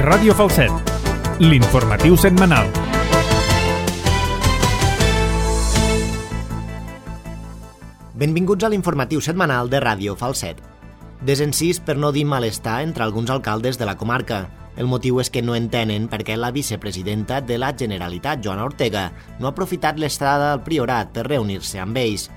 Ràdio Falset, l'informatiu setmanal. Benvinguts a l'informatiu setmanal de Ràdio Falset. Desencís per no dir malestar entre alguns alcaldes de la comarca. El motiu és que no entenen per què la vicepresidenta de la Generalitat, Joana Ortega, no ha aprofitat l'estada al Priorat per reunir-se amb ells.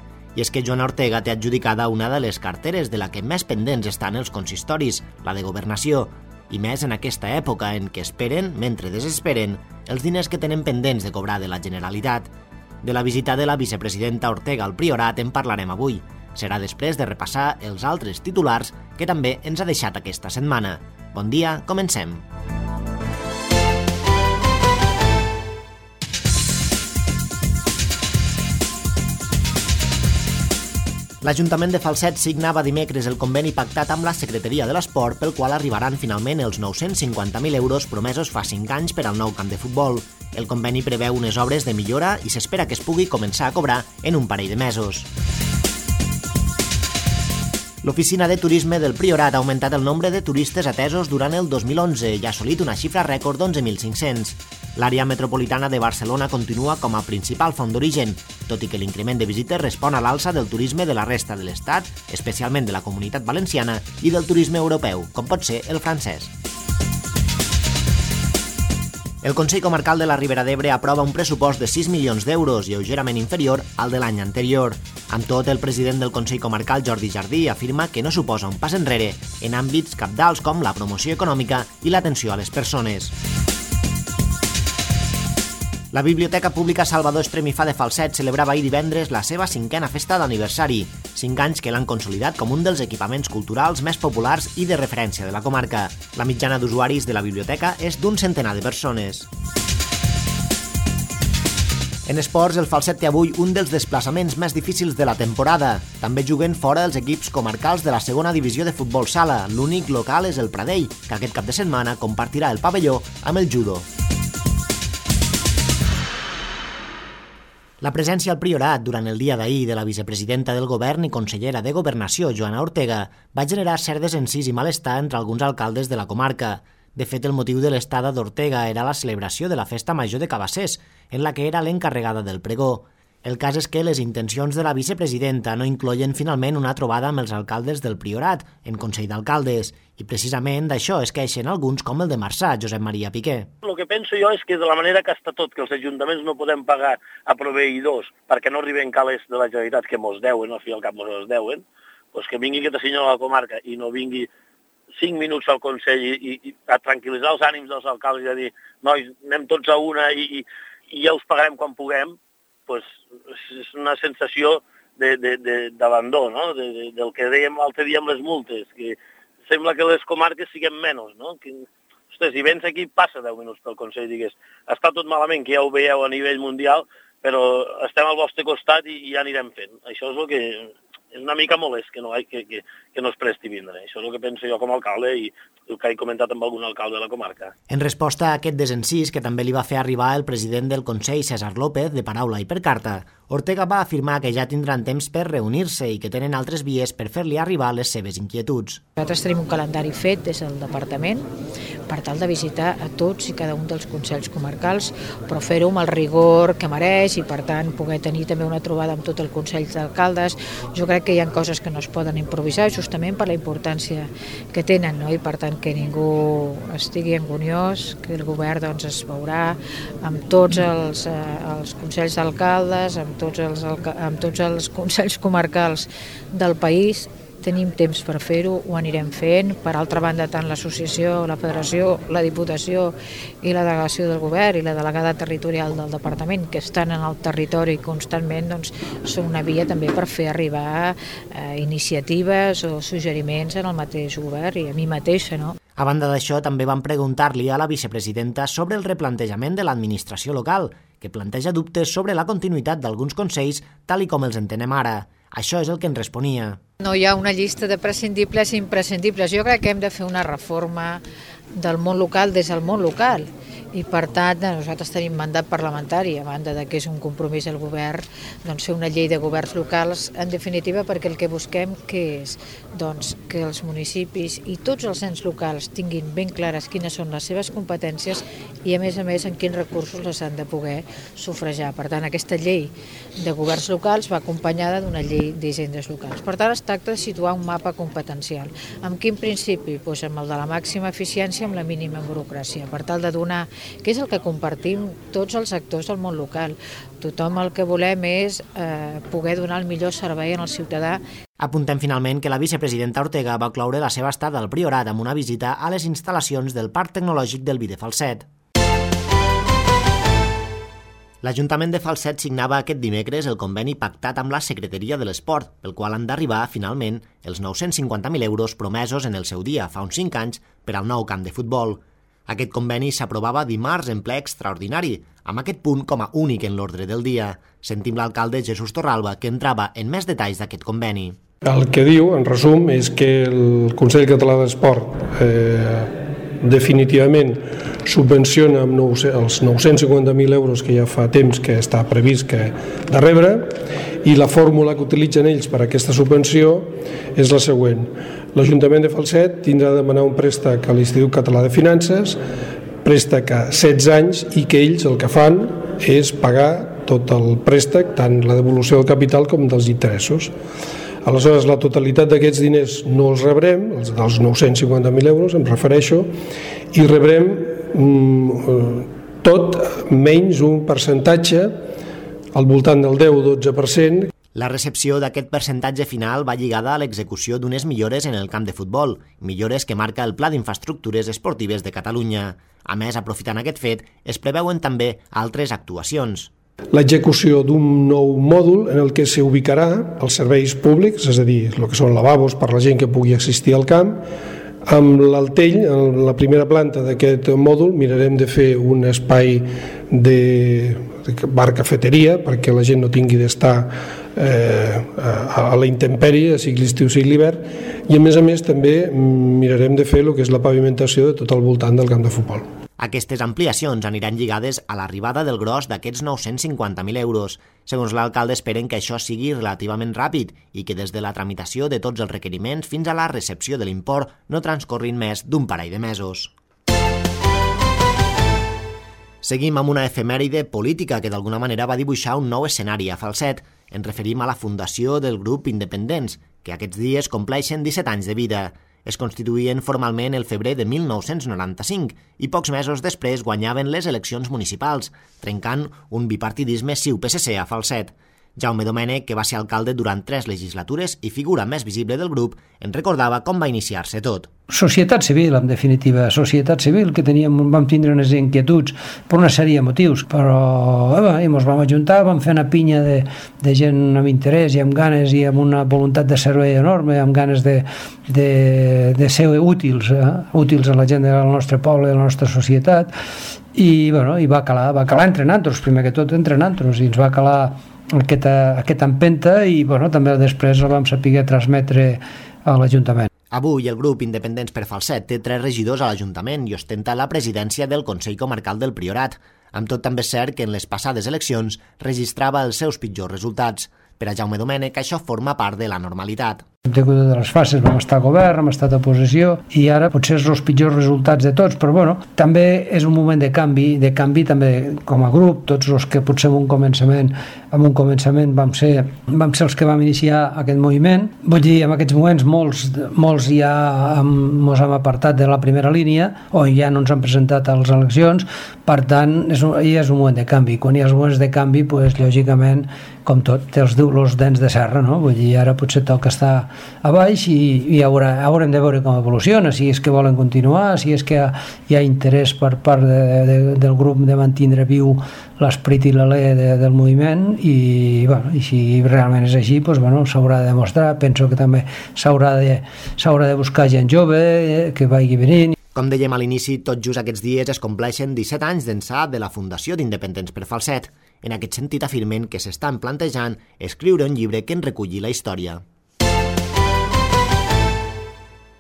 I és que Joana Ortega té adjudicada una de les carteres de la que més pendents estan els consistoris, la de Governació, i més en aquesta època en què esperen, mentre desesperen, els diners que tenen pendents de cobrar de la Generalitat. De la visita de la vicepresidenta Ortega al Priorat en parlarem avui. Serà després de repassar els altres titulars que també ens ha deixat aquesta setmana. Bon dia, comencem. L'Ajuntament de Falset signava dimecres el conveni pactat amb la Secretaria de l'Esport pel qual arribaran finalment els 950.000 euros promesos fa 5 anys per al nou camp de futbol. El conveni preveu unes obres de millora i s'espera que es pugui començar a cobrar en un parell de mesos. L'Oficina de Turisme del Priorat ha augmentat el nombre de turistes atesos durant el 2011 i ha assolit una xifra rècord d'11.500. L'àrea metropolitana de Barcelona continua com a principal font d'origen, tot i que l'increment de visites respon a l'alça del turisme de la resta de l'Estat, especialment de la Comunitat Valenciana i del turisme europeu, com pot ser el francès. El Consell Comarcal de la Ribera d'Ebre aprova un pressupost de 6 milions d'euros, lleugerament inferior al de l'any anterior. Amb tot, el president del Consell Comarcal, Jordi Jardí, afirma que no suposa un pas enrere en àmbits cabdals com la promoció econòmica i l'atenció a les persones. La Biblioteca Pública Salvador Estremifà de Falset celebrava ahir divendres la seva 5a festa d'aniversari, 5 anys que l'han consolidat com un dels equipaments culturals més populars i de referència de la comarca. La mitjana d'usuaris de la biblioteca és d'un centenar de persones. En esports, el Falset té avui un dels desplaçaments més difícils de la temporada. També juguen fora els equips comarcals de la segona divisió de futbol sala. L'únic local és el Pradell, que aquest cap de setmana compartirà el pavelló amb el judo. La presència al Priorat durant el dia d'ahir de la vicepresidenta del Govern i consellera de Governació, Joana Ortega, va generar cert desencís i malestar entre alguns alcaldes de la comarca. De fet, el motiu de l'estada d'Ortega era la celebració de la Festa Major de Cabassers, en la que era l'encarregada del pregó. El cas és que les intencions de la vicepresidenta no incloïen finalment una trobada amb els alcaldes del Priorat, en Consell d'Alcaldes, i precisament d'això es queixen alguns com el de Marçà, Josep Maria Piqué. El que penso jo és que de la manera que està tot, que els ajuntaments no podem pagar a proveïdors perquè no arriben calés de la Generalitat que mos deuen, al fi i al cap mos deuen, doncs que vingui aquest senyor a la comarca i no vingui 5 minuts al Consell i a tranquil·litzar els ànims dels alcaldes i a dir, nois, anem tots a una i ja us pagarem quan puguem, pues és una sensació d'abandó, no? Del que dèiem l'altre dia amb les multes, que sembla que les comarques siguem menys, no? Ostres, si vens aquí, passa 10 minuts pel Consell, digues, està tot malament, que ja ho veieu a nivell mundial, però estem al vostre costat i ja anirem fent. Això és el que és una mica molest que no es presti vindre. Això és el que penso jo com a alcalde i el que he comentat amb algun alcalde de la comarca. En resposta a aquest desencís, que també li va fer arribar el president del Consell, César López, de paraula i per carta, Ortega va afirmar que ja tindran temps per reunir-se i que tenen altres vies per fer-li arribar les seves inquietuds. Nosaltres tenim un calendari fet des del departament per tal de visitar a tots i cada un dels consells comarcals, però fer-ho amb el rigor que mereix i, per tant, poder tenir també una trobada amb tot el Consell d'Alcaldes. Jo crec que hi ha coses que no es poden improvisar justament per la importància que tenen, no? I, per tant, que ningú estigui anguniós, que el govern doncs, es veurà amb tots els consells d'alcaldes, amb tots els consells comarcals del país. Tenim temps per fer-ho, ho anirem fent. Per altra banda, tant l'associació, la federació, la diputació i la delegació del govern i la delegada territorial del departament, que estan en el territori constantment, doncs, són una via també per fer arribar iniciatives o suggeriments en el mateix govern i a mi mateixa, no? A banda d'això, també van preguntar-li a la vicepresidenta sobre el replantejament de l'administració local, que planteja dubtes sobre la continuïtat d'alguns consells tal i com els entenem ara. Això és el que ens responia. No hi ha una llista de prescindibles i imprescindibles. Jo crec que hem de fer una reforma del món local des del món local i per tant nosaltres tenim mandat parlamentari, a banda de que és un compromís del govern, doncs fer una llei de governs locals, en definitiva perquè el que busquem que és doncs, que els municipis i tots els ens locals tinguin ben clares quines són les seves competències i a més en quins recursos les han de poder sufragar. Per tant, aquesta llei de governs locals va acompanyada d'una llei d'hisendes locals. Per tant, es tracta de situar un mapa competencial. Amb quin principi? Doncs amb el de la màxima eficiència, amb la mínima burocràcia, per tal de donar, que és el que compartim tots els actors del món local. Tothom el que volem és poder donar el millor servei al ciutadà. Apuntem finalment que la vicepresidenta Ortega va cloure la seva estada al Priorat amb una visita a les instal·lacions del Parc Tecnològic del Vi de Falset. L'Ajuntament de Falset signava aquest dimecres el conveni pactat amb la Secretaria de l'Esport, pel qual han d'arribar, finalment, els 950.000 euros promesos en el seu dia, fa uns 5 anys, per al nou camp de futbol. Aquest conveni s'aprovava dimarts en ple extraordinari, amb aquest punt com a únic en l'ordre del dia. Sentim l'alcalde Jesús Torralba, que entrava en més detalls d'aquest conveni. El que diu, en resum, és que el Consell Català d'Esport definitivament subvenciona amb els 950.000 euros que ja fa temps que està previst que de rebre, i la fórmula que utilitzen ells per a aquesta subvenció és la següent. L'Ajuntament de Falset tindrà de demanar un préstec a l'Institut Català de Finances, préstec a 16 anys, i que ells el que fan és pagar tot el préstec, tant la devolució del capital com dels interessos. Aleshores, la totalitat d'aquests diners no els rebrem, els dels 950.000 euros, em refereixo, i rebrem tot menys un percentatge al voltant del 10-12%. La recepció d'aquest percentatge final va lligada a l'execució d'unes millores en el camp de futbol, millores que marca el Pla d'Infraestructures Esportives de Catalunya. A més, aprofitant aquest fet, es preveuen també altres actuacions. L'execució d'un nou mòdul en el que s'ubicarà els serveis públics, és a dir, el que són lavabos per la gent que pugui assistir al camp. Amb l'Altell, en la primera planta d'aquest mòdul, mirarem de fer un espai de bar-cafeteria perquè la gent no tingui d'estar a la intempèrie, sigui l'estiu, sigui l'hivern, i a més també mirarem de fer el que és la pavimentació de tot el voltant del camp de futbol. Aquestes ampliacions aniran lligades a l'arribada del gros d'aquests 950.000 euros. Segons l'alcalde, esperen que això sigui relativament ràpid i que des de la tramitació de tots els requeriments fins a la recepció de l'import no transcorrin més d'un parell de mesos. Seguim amb una efemèride política que d'alguna manera va dibuixar un nou escenari a Falset. Ens referim a la fundació del grup Independents, que aquests dies compleixen 17 anys de vida. Es constituïen formalment el febrer de 1995 i pocs mesos després guanyaven les eleccions municipals, trencant un bipartidisme CiU-PSC a Falset. Jaume Domènech, que va ser alcalde durant 3 legislatures i figura més visible del grup, en recordava com va iniciar-se tot. Societat civil, en definitiva, societat civil, que vam tindre unes inquietuds per una sèrie de motius, però ens vam ajuntar, vam fer una pinya de gent amb interès i amb ganes i amb una voluntat de servei enorme, amb ganes de ser útils a la gent del nostre poble, de la nostra societat, i va calar entre nosaltres, primer que tot entre nosaltres, i ens va calar aquesta empenta i també després la vam saber transmetre a l'Ajuntament. Avui el grup Independents per Falset té 3 regidors a l'Ajuntament i ostenta la presidència del Consell Comarcal del Priorat. Amb tot, també és cert que en les passades eleccions registrava els seus pitjors resultats. Per a Jaume Domènech, això forma part de la normalitat. Hem tingut de les fases, vam estar a govern, hem estat a oposició i ara potser són els pitjors resultats de tots, però també és un moment de canvi també com a grup, tots els que potser en un començament vam ser els que vam iniciar aquest moviment. Vull dir, en aquests moments molts ja ens hem apartat de la primera línia o ja no ens han presentat a les eleccions, per tant, ja és un moment de canvi. Quan hi ha els moments de canvi, lògicament, com tot, té els dents de serra, no? Vull dir, ara potser toca estar a baix i haurem de veure com evoluciona, si és que volen continuar, si és que hi ha interès per part del grup de mantenir viu l'esperit i l'alè del moviment i si realment és així, s'haurà de demostrar. Penso que també s'haurà de buscar gent jove que vagi venint. Com dèiem a l'inici, tot just aquests dies es compleixen 17 anys d'ençà de la Fundació d'Independents per Falset. En aquest sentit afirmen que s'estan plantejant escriure un llibre que en reculli la història.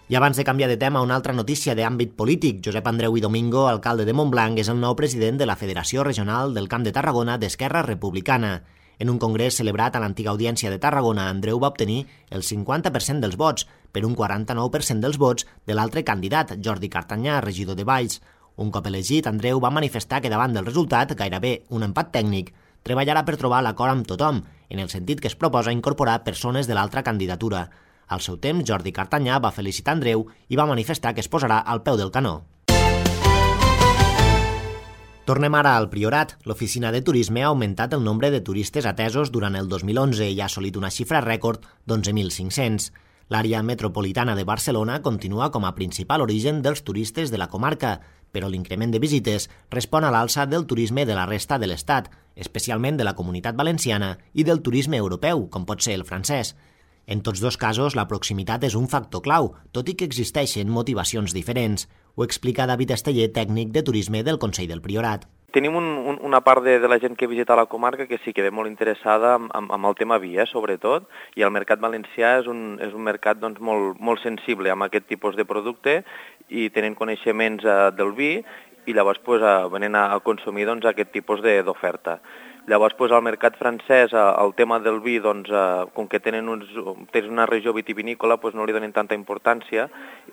I abans de canviar de tema, una altra notícia d'àmbit polític. Josep Andreu i Domingo, alcalde de Montblanc, és el nou president de la Federació Regional del Camp de Tarragona d'Esquerra Republicana. En un congrés celebrat a l'antiga Audiència de Tarragona, Andreu va obtenir el 50% dels vots, per un 49% dels vots de l'altre candidat, Jordi Cartanyà, regidor de Valls. Un cop elegit, Andreu va manifestar que davant del resultat, gairebé un empat tècnic, treballarà per trobar l'acord amb tothom, en el sentit que es proposa incorporar persones de l'altra candidatura. Al seu temps, Jordi Cartanyà va felicitar Andreu i va manifestar que es posarà al peu del canó. Tornem ara al Priorat. L'Oficina de Turisme ha augmentat el nombre de turistes atesos durant el 2011 i ha assolit una xifra rècord d'11.500. L'àrea metropolitana de Barcelona continua com a principal origen dels turistes de la comarca, però l'increment de visites respon a l'alça del turisme de la resta de l'Estat, especialment de la Comunitat Valenciana i del turisme europeu, com pot ser el francès. En tots dos casos, la proximitat és un factor clau, tot i que existeixen motivacions diferents. Ho explica David Esteller, tècnic de turisme del Consell del Priorat. Tenim una part de la gent que visita la comarca que sí que ve molt interessada amb el tema vi, sobretot, i el mercat valencià és un mercat doncs, molt sensible amb aquest tipus de producte i tenen coneixements del vi i llavors venen a consumir doncs, aquest tipus d'oferta. Llavors, al mercat francès, el tema del vi, doncs, com que tenen una regió vitivinícola, no li donen tanta importància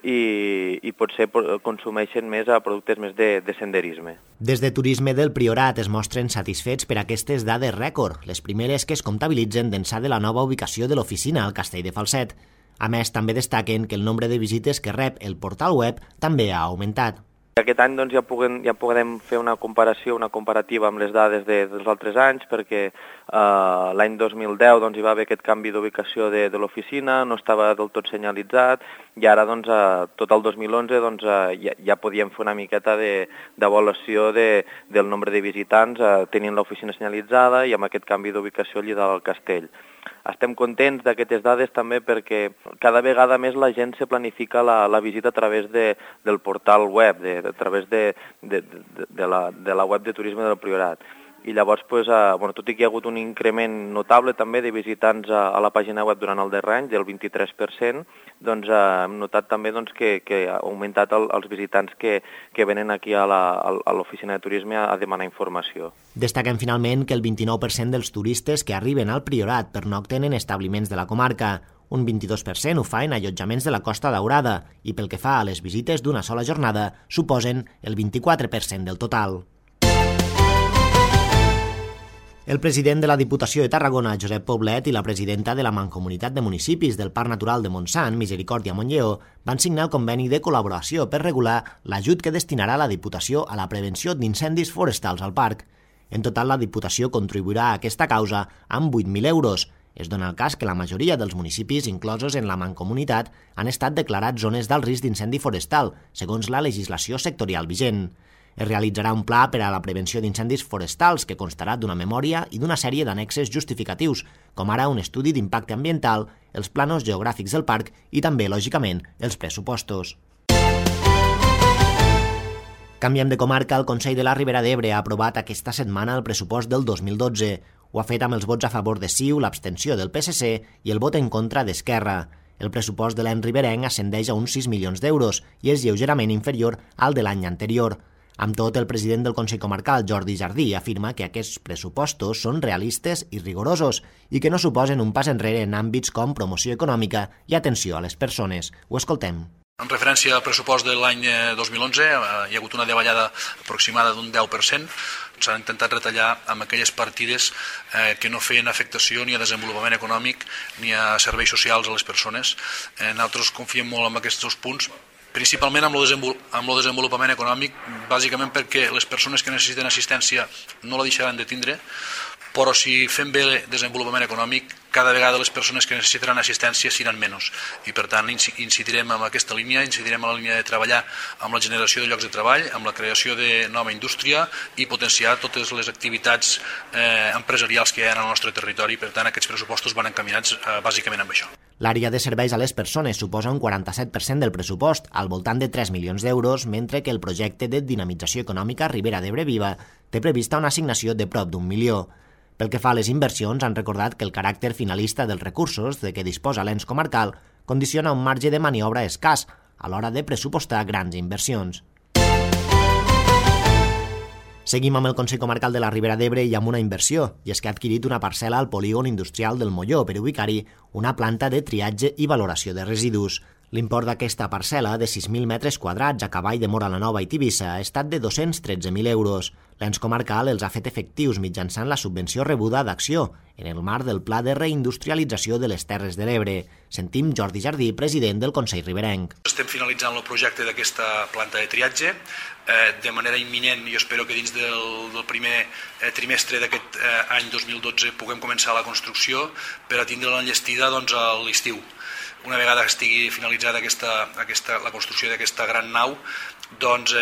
i potser consumeixen més productes més de senderisme. Des de Turisme del Priorat es mostren satisfets per aquestes dades rècord, les primeres que es comptabilitzen d'ençà de la nova ubicació de l'oficina al Castell de Falset. A més, també destaquen que el nombre de visites que rep el portal web també ha augmentat. Aquest any doncs, ja podem fer una comparativa amb les dades dels altres anys, perquè l'any 2010 doncs, hi va haver aquest canvi d'ubicació de l'oficina, no estava del tot senyalitzat, i ara doncs, tot el 2011 doncs, ja podíem fer una miqueta d'avaluació del nombre de visitants tenint l'oficina senyalitzada i amb aquest canvi d'ubicació allà dalt al castell. Estem contents d'aquestes dades també perquè cada vegada més la gent se planifica la visita a través del portal web, a través de la web de Turisme del Priorat. I llavors, tot i que hi ha hagut un increment notable també de visitants a la pàgina web durant el darrer any, del 23%, doncs hem notat també que ha augmentat els visitants que venen aquí a l'oficina de turisme a demanar informació. Destaquem finalment que el 29% dels turistes que arriben al Priorat pernocten en establiments de la comarca. Un 22% ho fa en allotjaments de la Costa Daurada i pel que fa a les visites d'una sola jornada suposen el 24% del total. El president de la Diputació de Tarragona, Josep Poblet, i la presidenta de la Mancomunitat de Municipis del Parc Natural de Montsant, Misericòrdia Montlleo, van signar el conveni de col·laboració per regular l'ajut que destinarà la Diputació a la prevenció d'incendis forestals al parc. En total, la Diputació contribuirà a aquesta causa amb 8.000 euros. Es dona el cas que la majoria dels municipis inclosos en la Mancomunitat han estat declarats zones d'alt risc d'incendi forestal, segons la legislació sectorial vigent. Es realitzarà un pla per a la prevenció d'incendis forestals que constarà d'una memòria i d'una sèrie d'annexes justificatius, com ara un estudi d'impacte ambiental, els planos geogràfics del parc i també, lògicament, els pressupostos. Canviem de comarca. El Consell de la Ribera d'Ebre ha aprovat aquesta setmana el pressupost del 2012. Ho ha fet amb els vots a favor de CiU, l'abstenció del PSC i el vot en contra d'Esquerra. El pressupost de l'any riberenc ascendeix a uns 6 milions d'euros i és lleugerament inferior al de l'any anterior. Amb tot, el president del Consell Comarcal, Jordi Jardí, afirma que aquests pressupostos són realistes i rigorosos i que no suposen un pas enrere en àmbits com promoció econòmica i atenció a les persones. Ho escoltem. En referència al pressupost de l'any 2011, hi ha hagut una davallada aproximada d'un 10%. S'han intentat retallar amb aquelles partides que no feien afectació ni a desenvolupament econòmic ni a serveis socials a les persones. Nosaltres confiem molt en aquests punts, principalment amb el desenvolupament econòmic, bàsicament perquè les persones que necessiten assistència no la deixaran de tindre, però si fem bé el desenvolupament econòmic, cada vegada les persones que necessitaran assistència seran menys. I per tant incidirem en aquesta línia, incidirem en la línia de treballar amb la generació de llocs de treball, amb la creació de nova indústria i potenciar totes les activitats empresarials que hi ha en el nostre territori. Per tant, aquests pressupostos van encaminats bàsicament amb això. L'àrea de serveis a les persones suposa un 47% del pressupost, al voltant de 3 milions d'euros, mentre que el projecte de dinamització econòmica Ribera d'Ebre Viva té prevista una assignació de prop d'1 milió. Pel que fa a les inversions, han recordat que el caràcter finalista dels recursos de què disposa l'ens comarcal condiciona un marge de maniobra escàs, a l'hora de pressupostar grans inversions. Seguim amb el Consell Comarcal de la Ribera d'Ebre i amb una inversió, i és que ha adquirit una parcel·la al polígon industrial del Molló per ubicar-hi una planta de triatge i valoració de residus. L'import d'aquesta parcel·la, de 6.000 metres quadrats a cavall de Móra la Nova i Tivissa, ha estat de 213.000 euros. L'ens comarcal els ha fet efectius mitjançant la subvenció rebuda d'Acció, en el marc del Pla de Reindustrialització de les Terres de l'Ebre. Sentim Jordi Jardí, president del Consell Riberenc. Estem finalitzant el projecte d'aquesta planta de triatge. De manera imminent, jo espero que dins del primer trimestre d'aquest any 2012 puguem començar la construcció per a tindre l'enllestida a l'estiu. Una vegada que estigui finalitzada la construcció d'aquesta gran nau,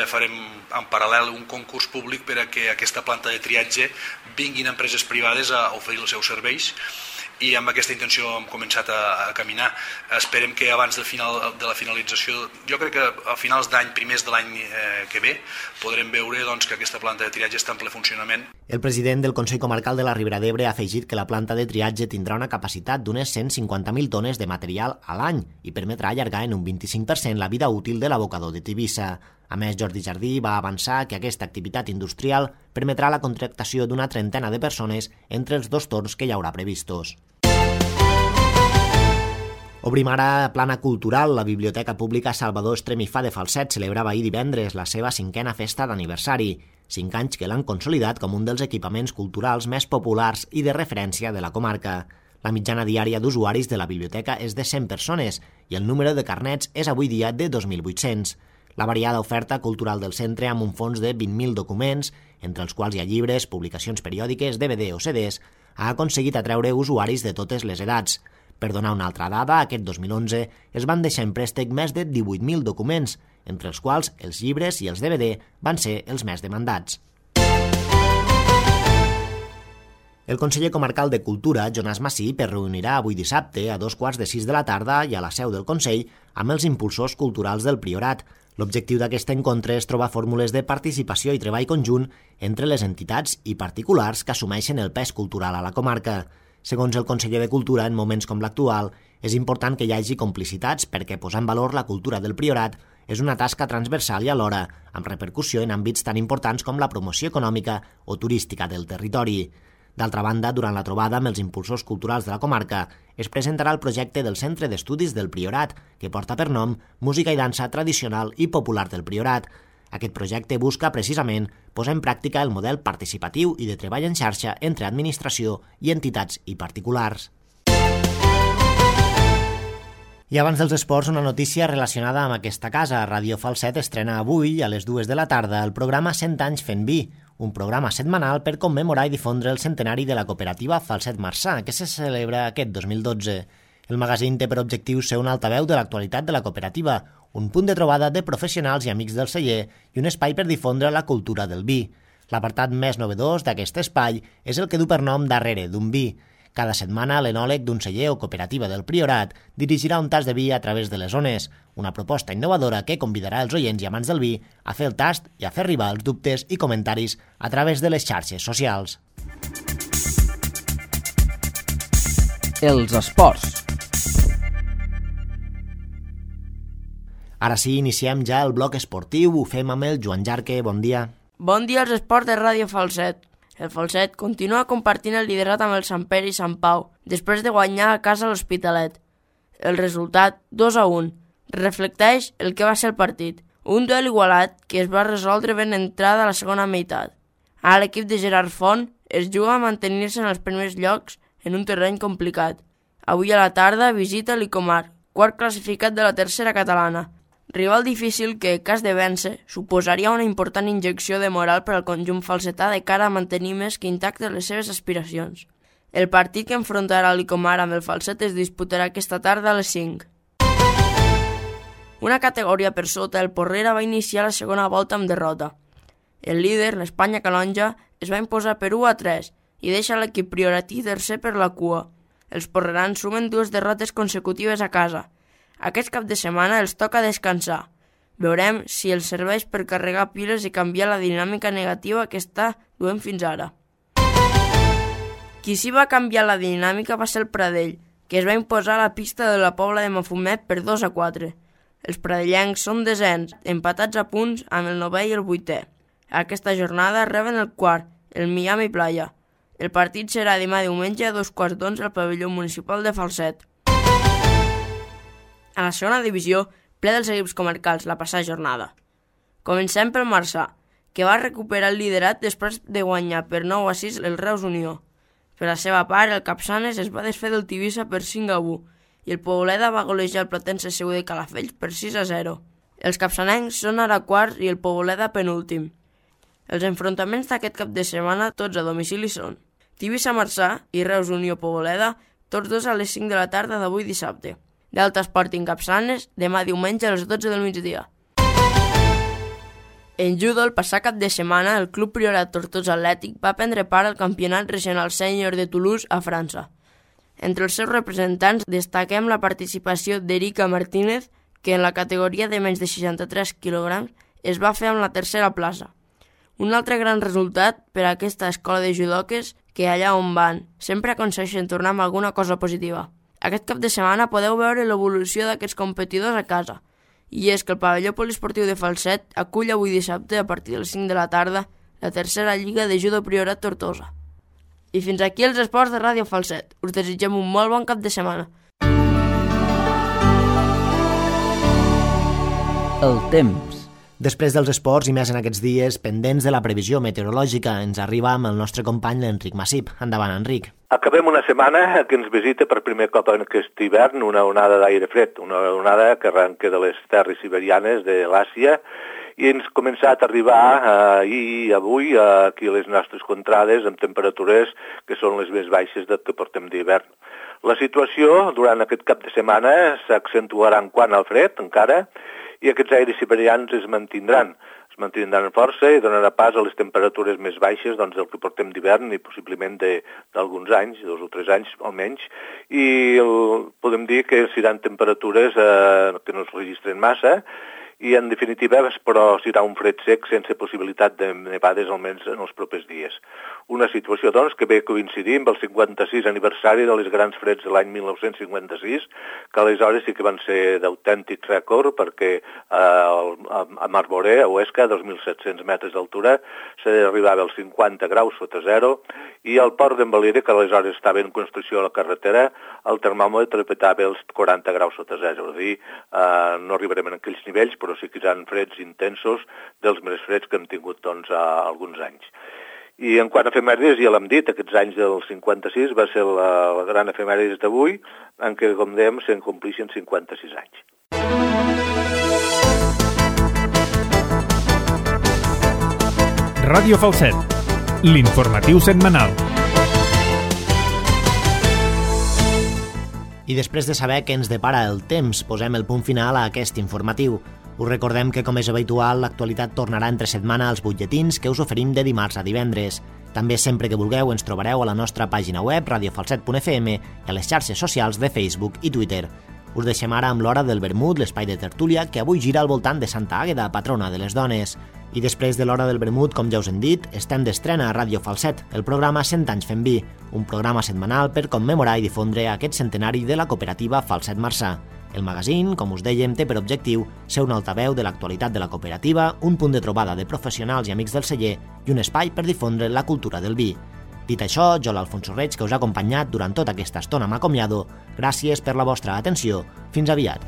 farem en paral·lel un concurs públic per a que aquesta planta de triatge vinguin empreses privades a oferir els seus serveis, i amb aquesta intenció hem començat a caminar. Esperem que abans de la finalització, jo crec que a finals d'any, primers de l'any que ve, podrem veure que aquesta planta de triatge està en ple funcionament. El president del Consell Comarcal de la Ribera d'Ebre ha afegit que la planta de triatge tindrà una capacitat d'unes 150.000 tones de material a l'any i permetrà allargar en un 25% la vida útil de l'abocador de Tivissa. A més, Jordi Jardí va avançar que aquesta activitat industrial permetrà la contractació d'una trentena de persones entre els 2 torns que hi haurà previstos. Obrim ara plana cultural. La Biblioteca Pública Salvador Estremifà de Falset celebrava ahir divendres la seva 5a festa d'aniversari, 5 anys que l'han consolidat com un dels equipaments culturals més populars i de referència de la comarca. La mitjana diària d'usuaris de la biblioteca és de 100 persones i el número de carnets és avui dia de 2.800. La variada oferta cultural del centre, amb un fons de 20.000 documents, entre els quals hi ha llibres, publicacions periòdiques, DVD o CDs, ha aconseguit atreure usuaris de totes les edats. Per donar una altra dada, aquest 2011 es van deixar en préstec més de 18.000 documents, entre els quals els llibres i els DVD van ser els més demandats. El conseller comarcal de Cultura, Jonàs Massip, es reunirà avui dissabte a 2:45 de la tarda i a la seu del Consell amb els impulsors culturals del Priorat. L'objectiu d'aquest encontre és trobar fórmules de participació i treball conjunt entre les entitats i particulars que assumeixen el pes cultural a la comarca. Segons el conseller de Cultura, en moments com l'actual, és important que hi hagi complicitats perquè posar en valor la cultura del Priorat és una tasca transversal i alhora amb repercussió en àmbits tan importants com la promoció econòmica o turística del territori. D'altra banda, durant la trobada amb els impulsors culturals de la comarca, es presentarà el projecte del Centre d'Estudis del Priorat, que porta per nom Música i dansa tradicional i popular del Priorat. Aquest projecte busca, precisament, posar en pràctica el model participatiu i de treball en xarxa entre administració i entitats i particulars. I abans dels esports, una notícia relacionada amb aquesta casa. Ràdio Falset estrena avui, a les 2 de la tarda, el programa 100 anys fent vi, un programa setmanal per commemorar i difondre el centenari de la cooperativa Falset Marçà, que se celebra aquest 2012. El magazín té per objectiu ser un altaveu de l'actualitat de la cooperativa, un punt de trobada de professionals i amics del celler i un espai per difondre la cultura del vi. L'apartat més novedós d'aquest espai és el que du per nom Darrere d'un vi. Cada setmana, l'enòleg d'un celler o cooperativa del Priorat dirigirà un tast de vi a través de les ones, una proposta innovadora que convidarà els oients i amants del vi a fer el tast i a fer arribar els dubtes i comentaris a través de les xarxes socials. Els esports. Ara sí, iniciem ja el bloc esportiu. Ho fem amb el Joan Jarque. Bon dia. Bon dia als esports de Ràdio Falset. El Falset continua compartint el liderat amb el Sant Pere i Sant Pau, després de guanyar a casa l'Hospitalet. El resultat, 2-1, reflecteix el que va ser el partit, un duel igualat que es va resoldre ben entrada a la segona meitat. Ara l'equip de Gerard Font es juga a mantenir-se en els primers llocs en un terreny complicat. Avui a la tarda visita l'Icomar, quart classificat de la tercera catalana. Rival difícil que, en cas de vèncer, suposaria una important injecció de moral per al conjunt falsetà de cara a mantenir més que intactes les seves aspiracions. El partit que enfrontarà l'Icomar amb el Falset es disputarà aquesta tarda a les 5. Una categoria per sota, el Porrera va iniciar la segona volta amb derrota. El líder, l'Espanya Calonja, es va imposar per 1-3 i deixa l'equip prioratí tercer per la cua. Els porrerans sumen 2 derrotes consecutives a casa. Aquest cap de setmana els toca descansar. Veurem si els serveix per carregar piles i canviar la dinàmica negativa que està duent fins ara. Qui sí va canviar la dinàmica va ser el Pradell, que es va imposar a la pista de la Pobla de Mafumet per 2-4. Els pradellencs són desens, empatats a punts amb el 9è i el 8è. Aquesta jornada reben el quart, el Miami Playa. El partit serà demà diumenge a 11:15 al pavelló municipal de Falset. A la segona divisió, ple dels equips comarcals la passada jornada. Comencem pel Marçà, que va recuperar el liderat després de guanyar per 9-6 el Reus Unió. Per la seva part, el Capçanes es va desfer del Tivissa per 5-1 i el Poboleda va golejar el Platense Seu de Calafell per 6-0. Els capçanencs són ara quarts i el Poboleda penúltim. Els enfrontaments d'aquest cap de setmana tots a domicili són Tivissa-Marçà i Reus Unió-Poboleda, tots dos a les 5 de la tarda d'avui dissabte. Delta Sporting Capçanes, demà diumenge a les 12 del migdia. En judo, el passat cap de setmana, el Club Priorat Tortosa Atlètic va prendre part al Campionat Regional Sènior de Toulouse a França. Entre els seus representants destaquem la participació d'Erika Martínez, que en la categoria de menys de 63 kg es va fer amb la tercera plaça. Un altre gran resultat per a aquesta escola de judoques que allà on van sempre aconsegueixen tornar amb alguna cosa positiva. Aquest cap de setmana podeu veure l'evolució d'aquests competidors a casa, i és que el pavelló poliesportiu de Falset acull avui dissabte a partir de les 5 de la tarda la tercera lliga de judo Priorat Tortosa. I fins aquí els esports de Ràdio Falset. Us desitgem un molt bon cap de setmana. El temps. Després dels esports i més en aquests dies, pendents de la previsió meteorològica, ens arriba amb el nostre company l'Enric Massip. Endavant, Enric. Acabem una setmana que ens visita per primer cop en aquest hivern una onada d'aire fred, una onada que arrenca de les terres siberianes de l'Àsia i ens ha començat a arribar ahir i avui aquí a les nostres contrades amb temperatures que són les més baixes del que portem d'hivern. La situació durant aquest cap de setmana s'accentuarà en quant al fred encara i aquests aires siberians es mantindran força i donarà pas a les temperatures més baixes del que portem d'hivern i possiblement d'alguns anys, 2 o 3 anys almenys, i podem dir que seran temperatures que no es registren massa i en definitiva però serà un fred sec sense possibilitat de nevades almenys en els propers dies. Una situació doncs que ve coincidir amb el 56 aniversari de les grans freds de l'any 1956, que aleshores sí que van ser d'autèntic rècord perquè a Marboré, a Huesca, a 2.700 metres d'altura, s'arribava als 50 graus sota zero i al port d'Envalira, que aleshores estava en construcció a la carretera, el termòmetre petava els 40 graus sota zero. És a dir, no arribarem a aquells nivells, però sí que seran freds intensos dels més freds que hem tingut doncs, alguns anys. I en quant a efemèrides, ja l'hem dit, aquests anys del 56 va ser la gran efemèrides d'avui, en què, com dèiem, se'n complixen 56 anys. Ràdio Falset, l'informatiu setmanal. I després de saber què ens depara el temps, posem el punt final a aquest informatiu. Us recordem que, com és habitual, l'actualitat tornarà entre setmana als butlletins que us oferim de dimarts a divendres. També, sempre que vulgueu, ens trobareu a la nostra pàgina web radiofalset.fm i a les xarxes socials de Facebook i Twitter. Us deixem ara amb l'Hora del Vermut, l'espai de tertúlia, que avui gira al voltant de Santa Àgueda, patrona de les dones. I després de l'Hora del Vermut, com ja us hem dit, estem d'estrena a Ràdio Falset, el programa 100 anys fent vi, un programa setmanal per commemorar i difondre aquest centenari de la cooperativa Falset Marçà. El magazín, com us dèiem, té per objectiu ser un altaveu de l'actualitat de la cooperativa, un punt de trobada de professionals i amics del celler i un espai per difondre la cultura del vi. Dit això, jo, l'Alfonso Reig, que us ha acompanyat durant tota aquesta estona, m'acomiado. Gràcies per la vostra atenció. Fins aviat.